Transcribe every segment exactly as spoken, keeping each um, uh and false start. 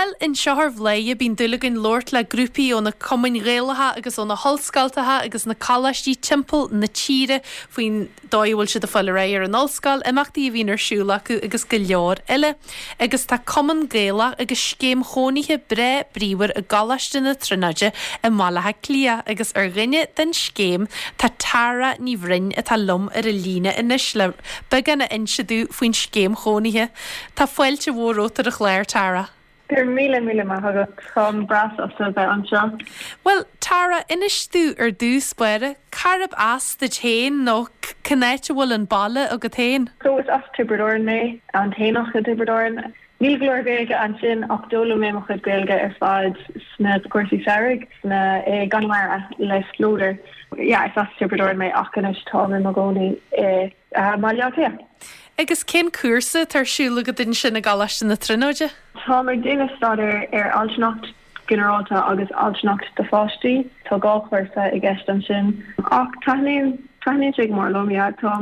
Bhuel, anseo ar Bhladhaire bíonn dúil againn labhairt le grúpaí ó na cumainn Ghaelacha agus ó na hollscoltacha agus na coláistí timpeall na tíre faoin dóigh a bhfuil siad ag fáil ar aghaidh ar an ollscoil, imeachtaí a bhíonn ar siúl acu agus go leor eile. Agus tá Cumann Gaelach agus scéim chónaithe breá bríomhar i gColáiste na Tríonóide i mBaile Átha Cliath agus ar dhuine den scéim tá Tara Ní Bhroin atá liom ar an líne anois le beagán a inse dúinn faoin scéim chónaithe. Tá fáilte mhór romhat ar an chlár Tara. Gur míle míle maith agat táim breá sásta bheith anseo. Well, Tara inis dúinn ar dtús báire, cárb as duit féin nó cén áit a bhfuil an baile agat féin? So is as Tiobraid Árann mé an tAonach i dTiobraid Árann. Níl go leor Gaeilge ansin ach d'fhoghlaim mé mo chuid Gaeilge ar fad sna cúrsaí samhraidh sna i gConamara le Spleodar. Yeah, is as Tiobraid Árann mé ach anois táim i mo chónaí i uh, Baile Átha Cliath. Agus cén cúrsa atá ar siúl agat ansin i gColáiste na Tríonóide? Táim ag déanamh staidéar ar altranacht ginearálta agus altranacht do pháistí, Tá dhá chúrsa i gceist ansin. Ach taitníonn taitníonn sé go mór liom yeah, tá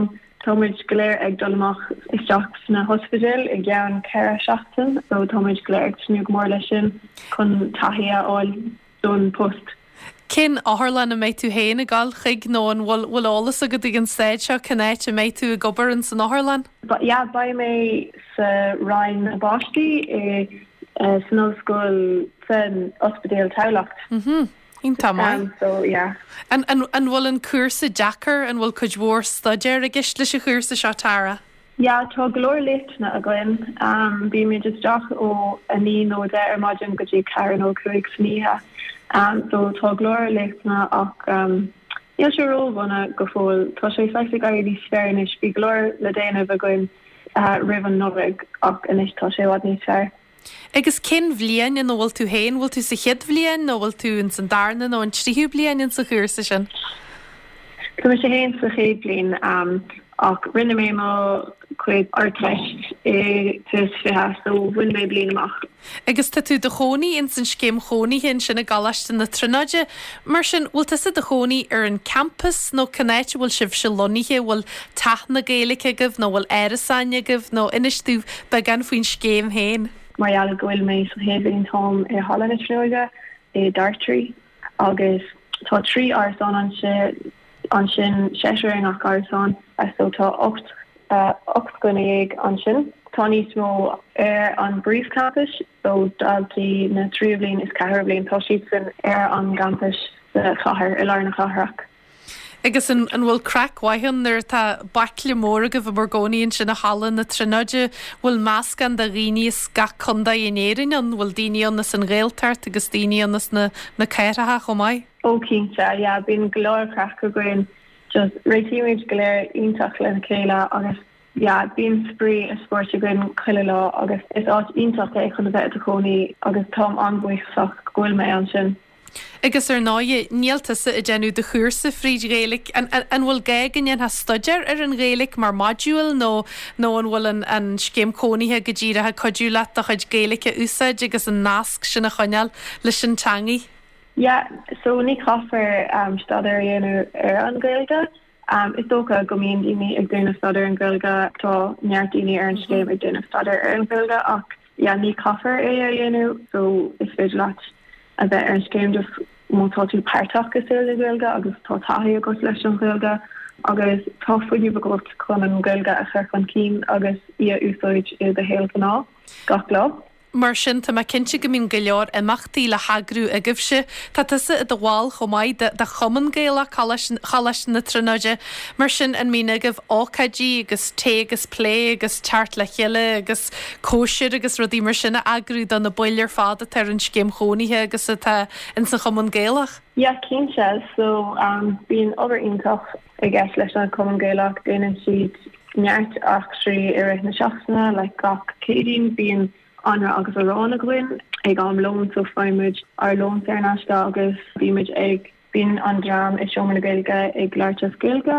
táimid go léir ag dul amach isteach sna hospidéil i gceann ceithre seachtain, so táimid go léir ag tnúth go mór leis sin chun taithí a fháil don post. Cén otharlann a mbeidh tú féin ag dul chuig nó an bhfuil bhfuil eolas agat ag an staid seo cén áit a mbeidh tú ag obair in san otharlann? But yeah, beidh mé sa Roinn na bPáistí i uh, san ollscoil san ospidéal Tamhlacht. Mhm. Iontach maith. Um, so yeah. An, an, an bhfuil an cúrsa deacair an bhfuil cuid mhór staidéir i gceist leis an chúrsa seo Tara? Yeah, tá go leor léachtanna againn. Um, bímid isteach ó a naoi nó deich ar maidin go dtí ceathair nó cúig san oíche. Um, so tá go leor léachtanna ach um, níl sé ródhona go fóill. Tá sé saghas ag éirí níos fearr anois bhí go leor le déanamh againn uh, roimh an Nollaig ach anois tá sé i bhfad níos fearr. Agus cén bhliain ina bhfuil tú féin, bhfuil tú sa chéad bhliain nó bhfuil tú in san darna nó an tríú bliain in sa chúrsa sin? Tá mé féin sa chéad bhliain um, ach rinne mé mo chuid Ardteist i tús fiche so bhain mé bliain amach. Agus tá tú i do chónaí in san scéim chónaithe ansin i gColáiste na Tríonóide, mar sin bhfuil tusa i do chónaí ar an campus nó cén áit a bhfuil sibhse lonnaithe bhfuil teach na Gaeilge agaibh nó bhfuil árasáin agaibh nó inis dúinn beagán faoin scéim féin. Mar gheall go bhfuil mé sa chéad bhliain táim i Halla na Tríonóide i Dartry agus tá trí árasán ansin ansin seisear i ngach árasán so tá ocht uh, ocht dhuine déag ansin. Tá níos mó ar an bpríomhchampas so daltaí na tríú bliain is ceathrú bliain tá siad sin ar an gcampas sa chathair i lár na cathrach. Agus an, an bhfuil craic mhaith ann nuair atá baicle mór agaibh i bhur gcónaí ansin i Halla na Tríonóide, bhfuil meascán de dhaoine as gach contae in Éirinn an bhfuil daoine ann as an Ghaeltacht agus daoine ann as na, na cathracha chomh maith? Ó cinnte, yeah, bíonn go leor craic againn just réitímid go léir iontach lena chéile agus yeah, bíonn spraoi is spórt againn chuile lá agus is áit iontach é chun a bheith i do chónaí agus táim an-bhuíochasach go bhfuil mé ansin. Agus ar ndóigh níl tusa ag déanamh do chúrsa fríd Ghaeilge an, an, an bhfuil gá go ndéanfá staidéar ar an Ghaeilge mar module nó nó an bhfuil an, an scéim cónaithe go díreach ag cuidiú leat do chuid Gaeilge a úsáid agus an nasc sin a choinneáil leis an teangaidh? Yeah, so ní chaithfear um, staidéar a dhéanamh ar an Ghaeilge. Um, is dócha go mbíonn daoine ag déanamh staidéar an Ghaeilge tá neart daoine ar an scéim ag déanamh staidéar ar an Ghaeilge ach yeah, ní chaithfear é a dhéanamh so is féidir leat a bheith ar an scéim just má tá tú páirteach i saol na Gaeilge agus tá taithí agat leis an Ghaeilge agus tá fuinneamh agat chun an Ghaeilge a chur chun cinn agus í a úsáid i do shaol gnáth gach lá. Mar sin tá mé cinnte go mbíonn go leor imeachtaí le heagrú agaibhse. Tá tusa i do bhall chomh maith de, de Chumann Gaelach Choláiste na Tríonóide, mar sin an mbíonn agaibh ócáidí agus tae agus plé agus teacht le chéile agus cóisir agus rudaí mar sin a eagrú do na baill ar fad atá ar an scéim chónaithe agus atá in san Chumann Gaelach. Yeah, cinnte so um, bíonn obair iontach i gceist leis an Cumann Gaelach déanann siad neart eachtraí i rith na seachtaine le gach Céadaoin bíonn anraith agus arán againn ag am lóin so faighimid ár lón saor in aisce agus bímid ag bíonn an dream i Seomra na Gaeilge ag labhairt as Gaeilge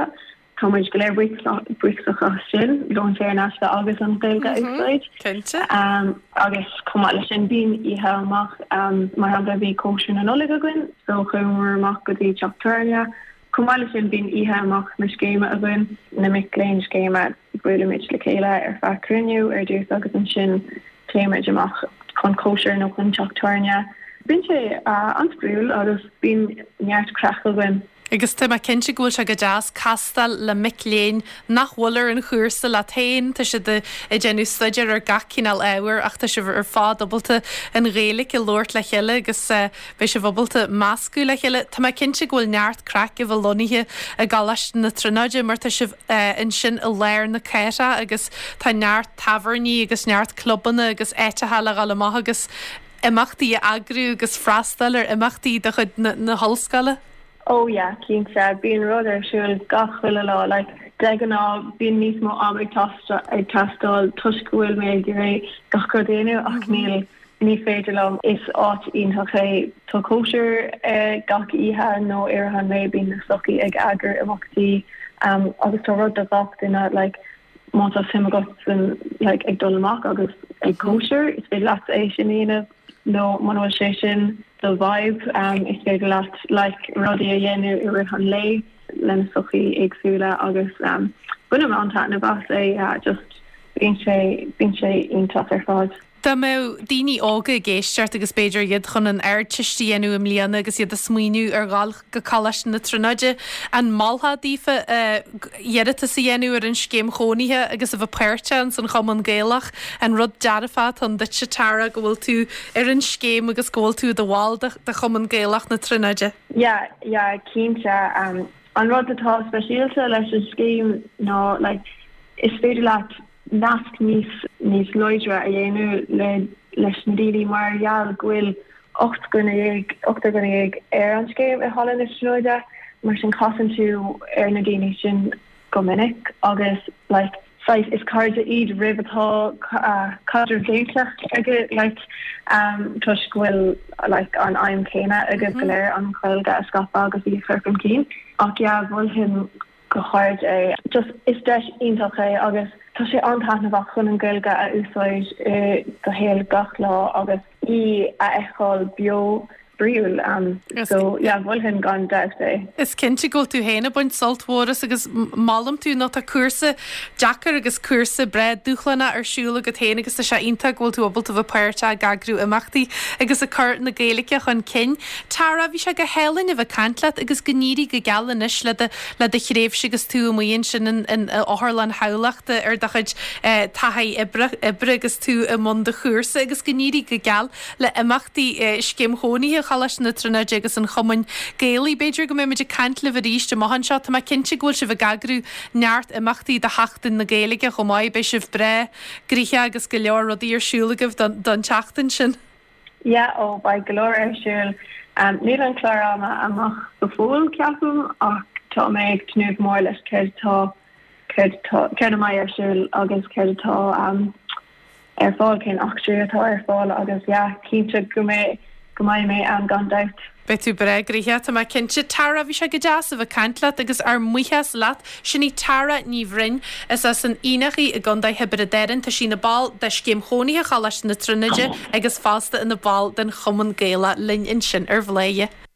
Tá muid go léir buíoch as sin lón saor in aisce agus an Ghaeilge mm -hmm. úsáid. Cinnte. Um, agus chomh maith leis sin bíonn oíche amach um, mar shampla bhí cóisir na Nollag againn, so chuamar amach go dtí teach tábhairne. Chomh maith leis sin bíonn oíche amach na scéime againn na mic léinn scéime buailimid le chéile ar feadh cruinniú ar dtús agus ansin téimid amach chun cóisir nó chun teach tábhairne. Bíonn sé an-spraíúil agus bíonn neart craic againn. Agus tá mé cinnte go bhfuil sé go deas castáil le mic léinn nach bhfuil ar an chúrsa leat féin, tá siad ag déanamh staidéar ar gach cineál ábhair ach tá sibh ar fad ábalta an Ghaeilge a labhairt le chéile agus beidh sibh ábalta meascadh le chéile. Tá mé cinnte go bhfuil neart craic a bheith lonnaithe i gColáiste na Tríonóide mar tá sibh ansin i lár na cathrach agus tá neart tábhairní agus neart clubanna agus áiteacha le dhul amach agus imeachtaí a eagrú agus freastal ar imeachtaí de chuid na hollscoile. Oh yeah, cinnte bíonn rud ar siúl gach uile lá like de ghnáth bíonn níos mó am ag ag teastáil toisc go bhfuil mé ag iarraidh gach rud a dhéanamh ach níl ní féidir liom is áit iontach é tá cóisir eh, gach oíche nó ar an lae bíonn na sochaí ag eagrú imeachtaí um, agus tá rud do gach duine like má tá suim agat san like ag dul amach agus ag cóisir is féidir leat é sin a dhéanamh nó muna bhfuil sé sin do vibe um, is féidir leat like rudaí a dhéanamh i rith an lae lena sochaí éagsúla agus um, bainim an-taitneamh as é uh, just bíonn sé bíonn sé iontach ar fad. Dá mbeadh daoine óga ag éisteacht agus b'fhéidir iad chun an Ardteist a dhéanamh i mbliana agus iad ag smaoineamh ar dhul go Coláiste na Tríonóide an molfá daofa iarratas a dhéanamh ar an scéim chónaithe agus a bheith páirteach san Chumann Gaelach an rud dearfach atá ann duitse Tara go bhfuil tú ar an scéim agus go bhfuil tú i do bhall de de Chumann Gaelach na Tríonóide. Yeah, yeah, cinnte um, an rud atá speisialta leis an scéim ná like, is féidir leat nasc níos níos láidre a dhéanamh le leis na daoine mar gheall go bhfuil ocht dhuine dhéag ocht dhuine dhéag ar an scéim i Halla na Tríonóide mar sin casann tú ar na daoine sin go minic agus like saghas is cairde iad roimh atá uh, caidreamh déanta aige like um, toisc go bhfuil like an aidhm céanna agaibh go léir an Ghaeilge a scaipeadh agus í a chur chun cinn ach yeah mholfainn go hard é just is deis iontach é agus tá sé an-taitneamhach chun an Ghaeilge a úsáid i do shaol gach lá agus í a fheiceáil beo bríúil um, so yeah mholfainn gan dabht é. Is cinnte go bhfuil tú féin ag baint sult mhór as agus molaim tú nó tá cúrsa deacair agus cúrsa breá dúshlánach ar siúl agat féin agus tá sé iontach go bhfuil tú ábalta bheith páirteach ag eagrú imeachtaí agus ag cur na Gaeilge chun cinn. Tara bhí sé go hálainn a bheith ag caint leat agus go n-éirí go geal anois le do le do thréimhse agus tú amuigh ansin in in Otharlann Thamhlachta ar do chuid eh, taithí oibre oibre agus tú i mbun do chúrsa agus go n-éirí go geal le imeachtaí eh, scéim chónaithe Choláiste na Tríonóide agus an Chumainn Gaelaigh b'fhéidir go mbeimid ag caint libh arís amach anseo Tá mé cinnte go bhfuil sibh ag eagrú neart imeachtaí do Sheachtain na Gaeilge chomh maith beidh sibh breá gnoitheach agus go leor rudaí ar siúl agaibh don don tseachtain sin. Yeah, ó beidh go leor ar siúl. Um, níl an clár ama amach go fóill ceapaim ach tá mé ag tnúth mór leis céard tá céard tá céard a bheidh ar siúl agus céard atá um, ar fáil cén eachtraí atá ar fáil agus yeah, cinnte go mbeidh go mbeidh mé ann gan dabht. Beidh tú breá gnoitheach tá mé cinnte Tara bhí sé go deas a bheith ag caint leat agus ár mbuíochas leat sin í Tara Ní Bhroin is as an Aonach í i gContae Thiobraid Árann tá sí ina ball de scéim chónaithe Choláiste na Tríonóide agus fosta ina ball den Chumann Gaelach linn ansin ar Bhladhaire.